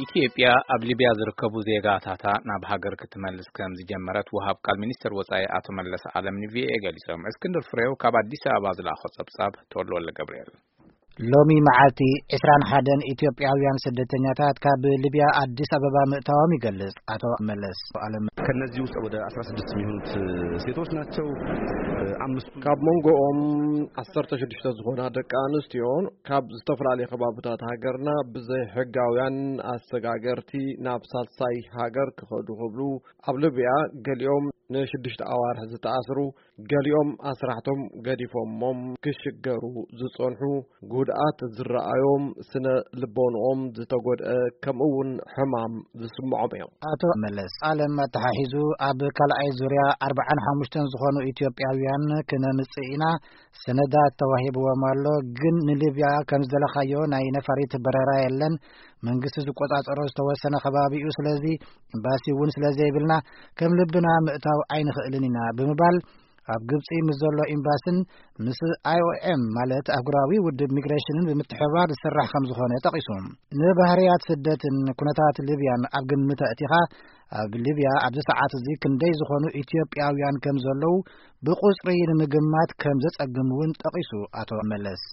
ኢትዮጵያ ኣብ ሊብያ ዝርከቡ ዜጋታታ ናብ ሃገር ክትመልስ ከም ዝጀመረት ወሃብ ቃል ሚኒስትር ወጻኢ ኣቶ መለስ ዓለም ን ቪኦኤ ገሊጾም። እስክንድር ፍሬው ካብ ኣዲስ ኣበባ ዝለኣኾ ጸብጻብ። ተወልደ ወልደ ገብርኤል። ሎሚ መዓልቲ ዕስራን ሓደን ኢትዮጵያውያን ስደተኛታት ካብ ሊብያ ኣዲስ ኣበባ ምእታዎም ይገልጽ ኣቶ መለስ ዓለም። ከነዚህ ውስጥ ወደ አስራ ስድስት የሚሆኑት ሴቶች ናቸው። አምስቱ ካብ መንጎኦም ዓሰርተ ሽዱሽተ ዝኾና ደቂ ኣንስትዮ ካብ ዝተፈላለዩ ከባብታት ሃገርና ብዘይ ሕጋውያን ኣሰጋገርቲ ናብ ሳልሳይ ሃገር ክኸዱ ክብሉ ኣብ ሊብያ ገሊኦም ንሽዱሽተ ኣዋርሕ ዝተኣስሩ፣ ገሊኦም ኣስራሕቶም ገዲፎሞም ክሽገሩ ዝጸንሑ፣ ጉድኣት ዝረኣዮም፣ ስነ ልቦንኦም ዝተጎድአ፣ ከምኡ እውን ሕማም ዝስምዖም እዮም። ኣቶ መለስ ዓለም ኣተሓሒዙ ኣብ ካልኣይ ዙርያ ኣርባዓን ሓሙሽተን ዝኾኑ ኢትዮጵያውያን ክነምጽእ ኢና፣ ሰነዳት ተዋሂብዎም ኣሎ፣ ግን ንሊብያ ከም ዝደለኻዮ ናይ ነፋሪት በረራ የለን። መንግስቲ ዝቆጻጸሮ ዝተወሰነ ከባቢ እዩ። ስለዚ ኤምባሲ እውን ስለ ዘይብልና ከም ልብና ምእታው ኣይንኽእልን ኢና ብምባል ኣብ ግብጺ ምስ ዘሎ ኤምባስን ምስ ኣይኦኤም ማለት ኣህጉራዊ ውድብ ሚግሬሽንን ብምትሕብባር ዝስራሕ ከም ዝኾነ ጠቒሱ። ንባህርያት ስደትን ኩነታት ሊብያን ኣብ ግምት ኣእቲኻ ኣብ ሊብያ ኣብዚ ሰዓት እዚ ክንደይ ዝኾኑ ኢትዮጵያውያን ከም ዘለዉ ብቁጽሪ ንምግማት ከም ዘጸግም እውን ጠቒሱ ኣቶ መለስ።